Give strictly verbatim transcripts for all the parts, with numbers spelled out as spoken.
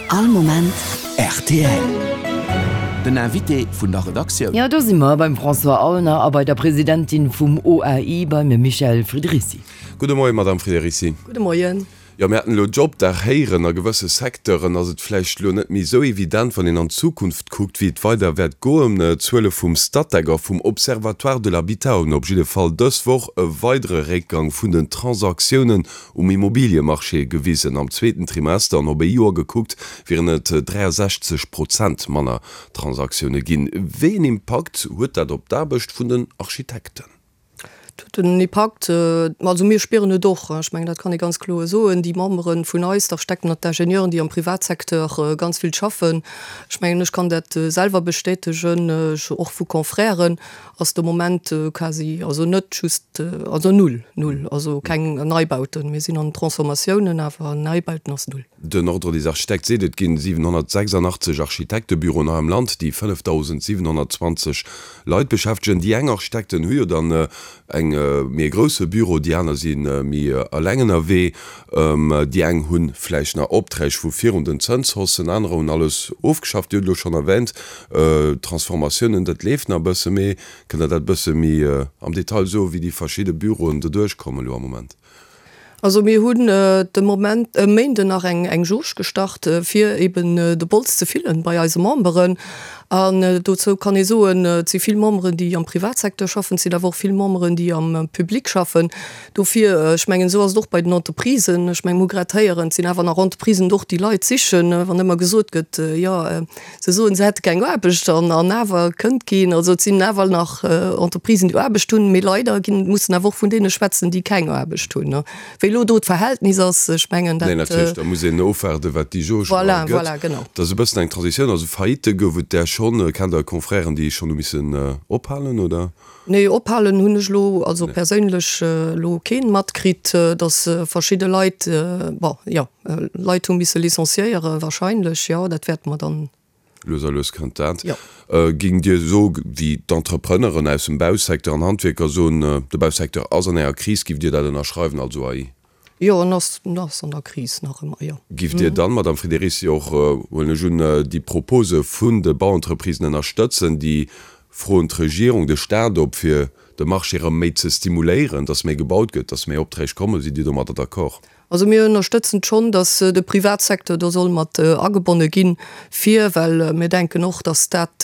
All Moment R T L. Den Invité vun der Redaktioun. Jo, do si mer beim François Aulner a bei der Presidentin vum O A I, beim Michèle Friederici. Gudde Moien, Madame Friederici. Gudde Moien. Jo, mir haten elo Jobdag héieren. A gewësse Secteuren ass et vläicht elo net méi esou evident, wann een an d'Zukunft kuckt, wéi et weider wäert goen. D'Zuele vum Statec a vum Observatoire de l'habitat hunn op jidde Fall dës Woch e weidere Réckgang vun den Transaktiounen um Immobiliemarché gewisen. Am zweeten Trimester an op e Joer gekuckt wieren et dräiasechzeg Prozent manner Transaktioune ginn. Wéi een Impakt huet dat op d'Aarbecht vun den Architekten? Den Impakt, also mir spieren et och, ech mengen, dat kann ee ganz kloer soen, déi Membere vun eis, d'Architekten an d'Ingenieuren, déi am Privatsecteur ganz vill schaffen, ech mengen, ech kann dat selwer bestätegen, och vu Confrèren, ass de Moment quasi, also net just, also null, null, also keng Neibauten. Mir sinn an Transformatiounen, awer Neibauten ass null. Den Ordre des architectes seet, et ginn siwenhonnertsechsandachtzeg Architektebüroen hei am Land, déi fënnefdausendsiwenhonnertzwanzeg Leit beschäftegen. Déi eng Architekten hu jo dann eng méi e grousse Büro, déi aner si méi eleng ënnerwee. Déi eng hu vläicht nach Opträg vu virun den Zënshaussen, anerer hunn alles ofgeschafft. Dir hutt elo schonn erwähnt, Transformatiounen, dat leeft nach e bësse. Mee kënnt Der dat e bësse méi am Detail soen, wéi déi verschidde Büroen doduerch kommen elo am Moment? Also mir hunn de Moment e Méinden nach eng eng Jauge gestart, fir eben de Bols ze fillen bei eise Memberen. An dozou kann ee soen, et si vill Memberen, déi am Privatsecteur schaffen, et sinn awer och vill Memberen, déi am Public schaffen. Dofir, ech mengen, esou ass et och bei den Entreprisen, ech mengen, mir hu grad héieren, et sinn awer nach Entreprisen och, déi Leit sichen, wann ëmmer gesot gëtt, jo, se soen, se hätte keng Aarbecht an an awer kënnt keen. Also et sinn awer nach Entreprisen, déi Aarbecht hunn, mee leider ginn, mussen awer och vun deene schwätzen, déi keng Aarbecht hunn. Wéi elo do d'Verhältnis ass, ech mengen, dat. Nee, natierlech, da muss een ofwaarden, wat déi Jauge Voilà, gëtt. voilà, genau. Dat ass e bëssen eng Transitioun. Also Faillite gouf et där schonn. Kennt Der Confrèren, déi schonn hu missen ophalen, oder? Nee, ophalen hunn ech elo, also perséinlech elo keen matkritt, datt verschidde Leit, bon, jo, Leit hu misse licenciéieren, wahrscheinlech, jo, dat wäerte mer dann. Lues a lues kënnt dat. Jo. Géingt Dir soe wéi d'Entrepreneuren aus dem Bausecteur an Handwierker soen, de Bausecteur ass an enger Kris, giff Dir dat ënnerschreiwen als O A I? Jo, en ass, en ass an der Kris nach ëmmer, jo. Giff Dir dann, Madame Friederici, och, huelen ech un, déi Propose vun de Bauentreprisen ënnerstëtzen, déi froen d'Regierung, de Staat op, fir de Marché erëm méi ze stimuléieren, dass méi gebaut gëtt, dass méi Opträg kommen? Sidd Dir domadder d'accord? Also mir ënnerstëtzen schonn, dass de Privatsecteur do soll mat agebonne ginn, fir, well mir denken och, dass dat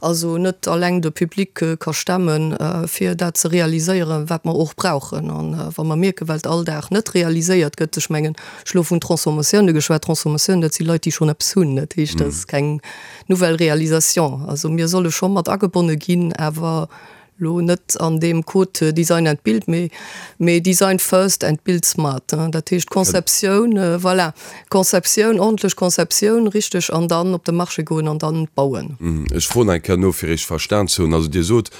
also net alleng de Public ka stemmen, fir dat ze realiséieren, wat mer och brauchen. An wa mer mierken, well et all Dag net realiséiert gëtt, ech mengen, ech elo vun Transformatioune geschwat, Transformatioun, dat si Leit, déi schonn eppes hunn, dat heescht, dat ass keng nouvelle Réalisation. Also mir solle scho mat agebonne ginn, awer lo net an deem Code Design and Build, mee mee Design first and build smart. Dat heescht Conceptioun, voilà, Conceptioun, ordentlech Conceptioun, richteg, an dann op de Marché goen an dann bauen. Ech froen eng Kéier no, fir richteg verstan ze hunn. Also Dir sot,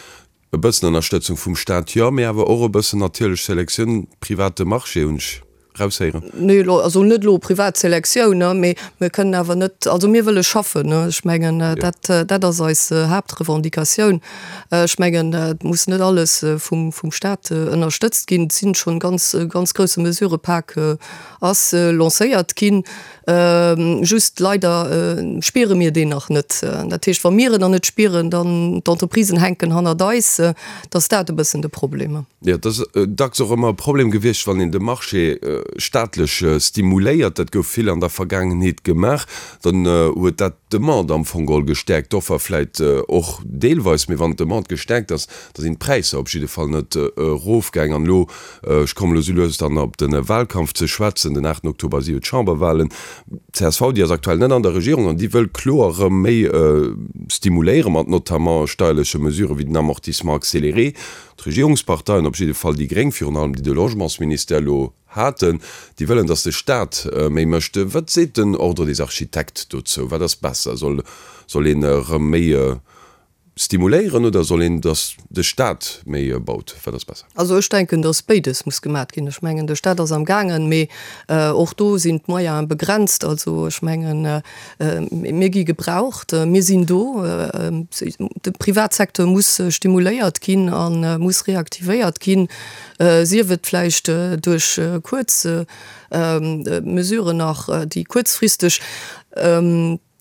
e bëssen Ënnerstëtzung vum Staat, jo, mee awer och e bëssen natierlech Selektioun, private Marché, hunn ech raushéieren. Nee, elo, also net elo privat Selektioun, ne, mee mir kënnen awer net, also mir wëlle schaffen, ne. Ech mengen, dat, dat ass eis Haaptrevendicatioun. Ech mengen, et muss net alles vum, vum Staat ënnerstëtzt ginn. Et sinn schonn ganz, ganz grousse Mesurëpak ass lancéiert ginn. Just leider spiere mir deen nach net. Dat heescht, wa mir en nach net spieren, dann d'Entreprisen hänken hannert eis. Dat ass dat e bëssen de Problem. Jo, et ass dacks och ëmmer e Problem gewiescht, wann een de Marché staatlech stimuléiert, dat gouf vill an der Vergaangenheet gemaach, dann huet dat d'Demande am Fong geholl gestäerkt, d'Offer vläit och deelweis, mee wann d'Demande gestäerkt ass, da sinn d'Präisser op jidde Fall net erofgaang. An elo, ech kommen elo sou lues dann op de Wahlkampf ze schwätzen, den aachten Oktober si jo d'Chamberwahlen, d'C S V, déi ass aktuell net an der Regierung an déi wëll kloer erëm méi stimuléiere mat notamment steierleche Mesuren wéi den Amortissement accéléré. D'Regierungsparteien, op jidde Fall déi Gréng virun allem, déi de Logementsministère elo haten, déi wëllen, datt de Staat méi mécht. Wat seet den Ordre des architectes dozou? Wat ass besser? Soll soll een erëm méi stimuléieren oder soll een, datt de Staat méi baut? Wat ass besser? Also ech denken, datt béides muss gemat ginn. Ech mengen, de Staat ass am gaangen, mee och do sinn d'Moyene begrenzt. Also ech mengen, mir gi gebraucht, mir sinn do. De Privatsecteur muss stimuléiert ginn a muss reaktivéiert ginn, sief et vläicht duerch kuerz Mesuren nach, déi kuerzfristeg.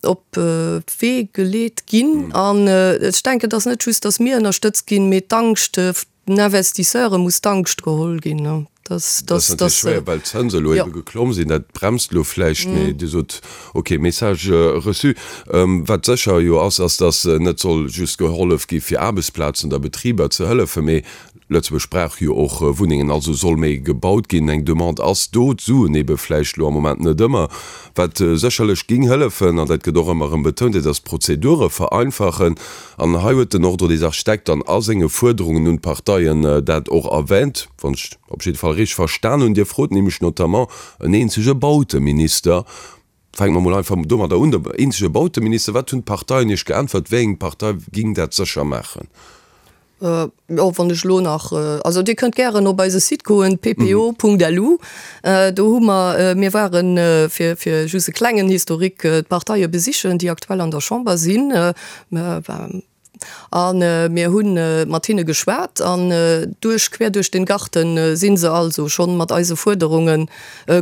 op d'Wee geleet ginn. An ech denken, et ass net just, datt mir ënnerstëtzt ginn, mee d'Angscht, den Investisseure muss d'Angscht geholl ginn. Dat ass natierlech schwéier, well d'Zënse elo ebe geklomm sinn. Dat bremst elo vläicht, mee Dir sot, okay, Message reçu. Wat sécher jo ass, ass, datt net soll just gehollef gi fir Aarbechtsplazen oder Betriber ze hëllefen, mee Lëtzebuerg brauch jo och Wunnengen, also soll méi gebaut ginn. Eng Demande ass do, d'Suen ebe vläicht elo am Moment net ëmmer. Wat sécherlech géing hëllefen, an dat gëtt och ëmmer erëm betount, dat ass d'Prozedure vereinfachen. An hei huet den Ordre des Architectes dann a senge Fuerderungen un d'Parteien dat och erwänt, wann ech op jidde Fall richteg verstan hunn. Dir frot nämlech notamment en eenzege Bauteminister. Fänke mer mol einfach domadder un, de eenzege Bauteminister. Wat hunn d'Parteien Iech geäntwert? Wéi eng Partei géing dat sécher maachen? Jo, wann ech elo nach, also Dir kënnt gären op eise Site goen, ppo.lu, do hu mer, mir waren, fir, fir just e klengen Historique, d'Parteie besichen, déi aktuell an der Chamber sinn, a mir hu mat hinne geschwat an duerch, quer durch den Garten si se also schonn mat eise Fuerderunge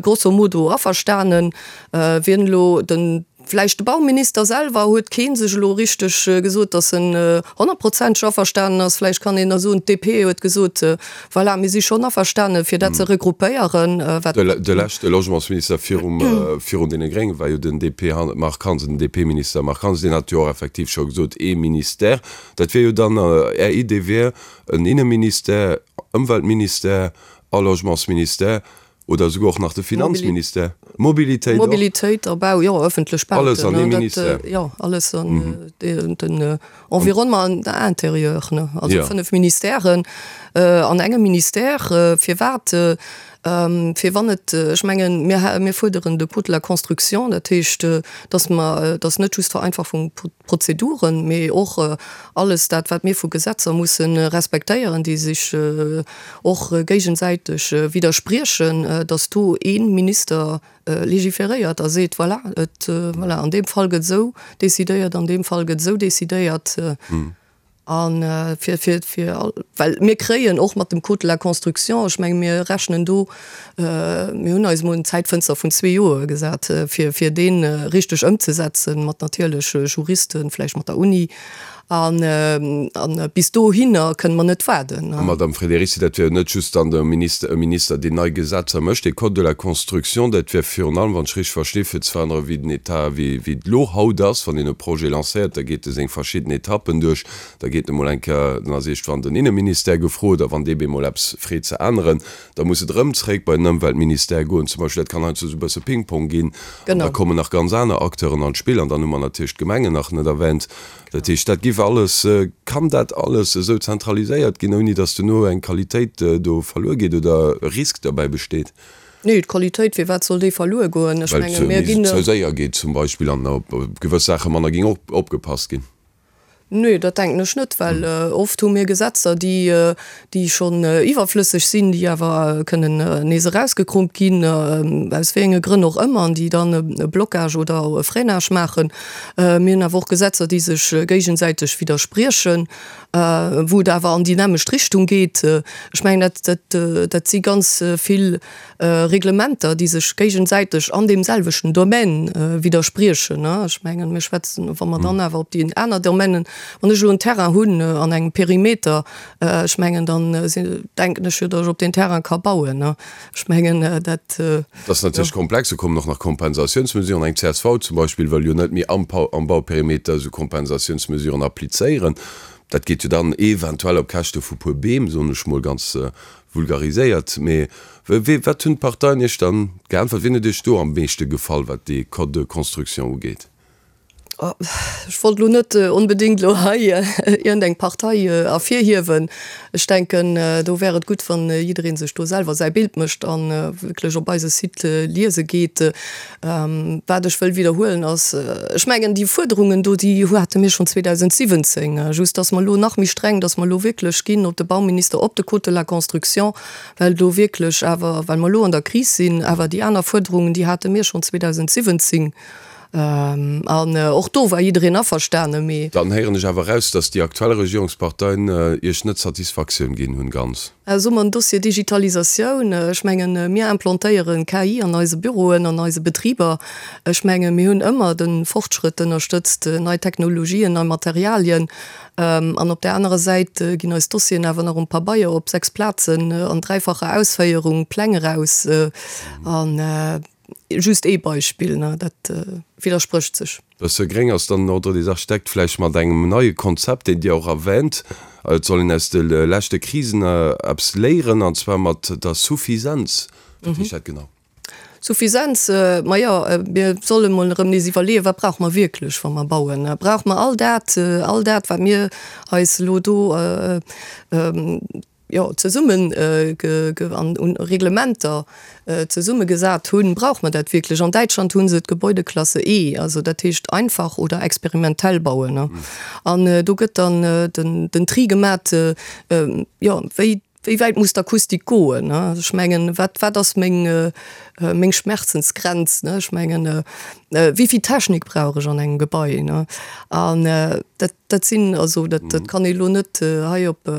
grosso modo averstanen. Wien elo den Vläicht de Bauminister selwer, huet kee sech elo richteg gesot, datt en honnertprozenteg averstanen ass. Vläicht kann een da soen, d'DP huet gesot, voilà, mir si schonn averstane fir dat ze regruppéieren, wat. De leschte Logementsminister virum, virun deene Grénge war jo den DP Marc Hansen, den DP-Minister Marc Hansen, deen hat jo och effektiv scho gesot, ee Ministère, dat wier jo dann, Är Idee wier en Inneministère, Ëmweltministère a Logementsministère. Oder esouguer och nach de Finanzministère. Mobilitéit och. Mobilitéit a Bau, jo, ëffentlech Bauten. Alles an ee Ministère. Jo, alles an den Environnement an Intérieur, ne. Also fënnef Ministèren an engem Ministère. Firwat? Fir wann et, ech mengen, mir, mir fuerderen de Code de la construction, dat heescht, dass mer, dass net just Vereinfachung Prozeduren, mee och alles dat, wat mir vu Gesetzer musse respektéieren, déi sech och géigesäiteg widderspriechen, dass do ee Minister légiféréiert a seet, voilà, et, voilà, an deem Fall gëtt esou décidéiert, an deem Fall gëtt esou décidéiert. An fir, fir, fir all, well mir kréien och mat dem Code de la construction, ech menge mir rechnen do, mir hunn eis emol en Zäitfënster vun zwee Joer gesat, fir, fir dee richteg ëmzesetzen, mat natierlech Juristen, vläicht mat der Uni. An, an bis dohinner kënne mer net waarden. A Madame Friederici, dat wier jo net just dann de Minister, e Minister, deen nei Gesetzer mécht. Dee Code de la construction, dat wier virun allem, wann ech richteg versti, fir ze verännere wéi den Etat, wéi, wéi et elo haut ass, wann een e Projet lancéiert, da geet e seng verschidden Etappen duerch, da geet emol eng Kéier, dann ass iergendwann den Inneministère gefrot, a wann dee bemol eppes freet ze änneren, da muss et erëm zréck bei den Ëmweltministère goen zum Beispill. Dat kann heiansdo esou e bësse Ping-Pong ginn. An da kommen nach ganz aner Acteuren an d'Spill. An dann hu mer natierlech d'Gemengen nach net erwänt. Dat heescht, dat giff alles, kann dat alles esou zentraliséiert ginn, ouni datt duerno eng Qualitéit do verluer geet oder e Risk derbäi besteet? Nee, d'Qualitéit, firwat soll déi verluer goen? Ech menge mir ginn. Well et ze séier geet zum Beispill an op gewëss Saache manner géing opgepasst ginn. Nee, dat denken ech net, well oft hu mir Gesetzer, déi, déi schonn iwwerflësseg sinn, déi awer kënnen nees erausgekrummt ginn, aus wéi enge Grënn och ëmmer, an déi dann e Blocage oder e Freinage maachen. Mir hunn awer och Gesetzer, déi sech géigesäiteg widderspriechen, wou et awer an déi nämmlecht Richtung geet. Ech mengen, dat, dat, dat si ganz vill Reglementer, déi sech géigesäiteg an deem selwechten Domaine widderspriechen. Ech mengen, mir schwätzen, wa mer dann awer op déi aner Domainen, wann ech elo en Terrain hunn an engem Perimeter, ech mengen, dann denken ech jo, datt ech op deen Terrain ka bauen. Ech mengen, dat. Dat ass natierlech komplex. Do kommen och nach Kompensatiounsmesuren. Eng csv zum Beispill wëll jo net méi am Bauperimeter esou Kompensatiounsmesuren applizéieren. Dat geet jo dann eventuell op Käschte vu puer Beem, soen ech mol ganz vulgariséiert. Mee wat hunn d'Parteien Iech dann geäntwert? Wien huet Iech do am meeschte gefall, wat dee Code de construction ugeet? Ech wollt elo net onbedéngt elo hei iergendeng Partei ervirhiewen. Ech denken, do wär et gutt, wann jidderee sech do selwer säi Bild mécht a wierklech op eise Site liese geet. Wat ech wëll widderhuelen ass, ech mengen, déi Fuerderungen do, déi hate mir schonn zweedausendsiwwenzéng, just dass mer elo nach méi streng, dass mer elo wierklech ginn op de Bauminister, op de Code de la construction, well do wierklech awer, well mer elo an der Kris sinn, awer déi aner Fuerderungen, déi hate mir schonn zweedausendsiwwenzéng. An och do war jiddereen averstanen, mee. Dann héieren ech awer eraus, dass déi aktuell Regierungsparteien Iech net Satisfaktioun ginn hunn, ganz. Soe mer en Dossier Digitalisatioun, ech mengen, mir implantéieren K I an eise Büroen, an eise Betriber. Ech mengen, mir hunn ëmmer de Fortschrëtt ënnerstëtzt, nei Technologien, nei Materialien. An op där anerer Säit ginn eis Dossieren awer nach um Pabeier op sechs Plazen an dräifacher Ausféierung, Pläng eraus. An just ee Beispill, ne, dat widdersprécht sech. Bësse gréng ass dann den Ordre des Architectes vläicht mat engem neie Konzept, deen Dir och erwähnt, et soll een aus de leschte Krisen eppes léieren, an zwar mat der Suffisenz. Wat heescht dat genau? Suffisenz, majo, mir solle mol erëm nees iwwerleeën, wat brauche mer wierklech, wa mer bauen? Brauche mer all dat, all dat, wat mir eis elo do, jo, zesummen an un Reglementer zesummegesat hunn, brauche mer dat wierklech? An Däitschland hu se d'Gebäudeklasse E, also dat heescht einfach oder experimentell bauen. An do gëtt dann den Tri gemat, jo, wéi wéi wäit muss d'Akustik goen? Ech mengen, wat wat ass meng meng Schmerzensgrenz? Ech mengen, wéi vill Technik brauch ech an engem Gebai? An dat dat sinn also dat dat kann ee lo net hei op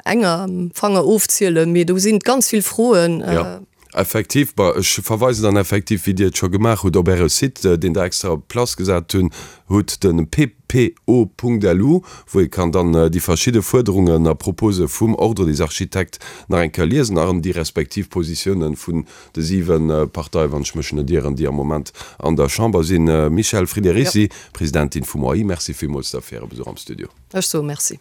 enger Fanger ofzielen, mee do sinn ganz vill Froen. Jo, effektiv. Bon, ech verweisen dann effektiv, wéi Dir et scho gemaach hutt, op Äre Site, deen Der extra op Place gesat hunn hutt, de P P O punkt L U, wou ee kann dann déi verschidde Fuerderungen a Propose vum Ordre des Architectes nach eng Kéier liesen an déi respektiv Positiounen vun de siwe Parteien, wann ech mech net ieren, déi am Moment an der Chamber sinn. Michèle Friederici, Presidentin vum O A I, Merci villmools da fir Äre Besuch am Studio. Ech soe Merci.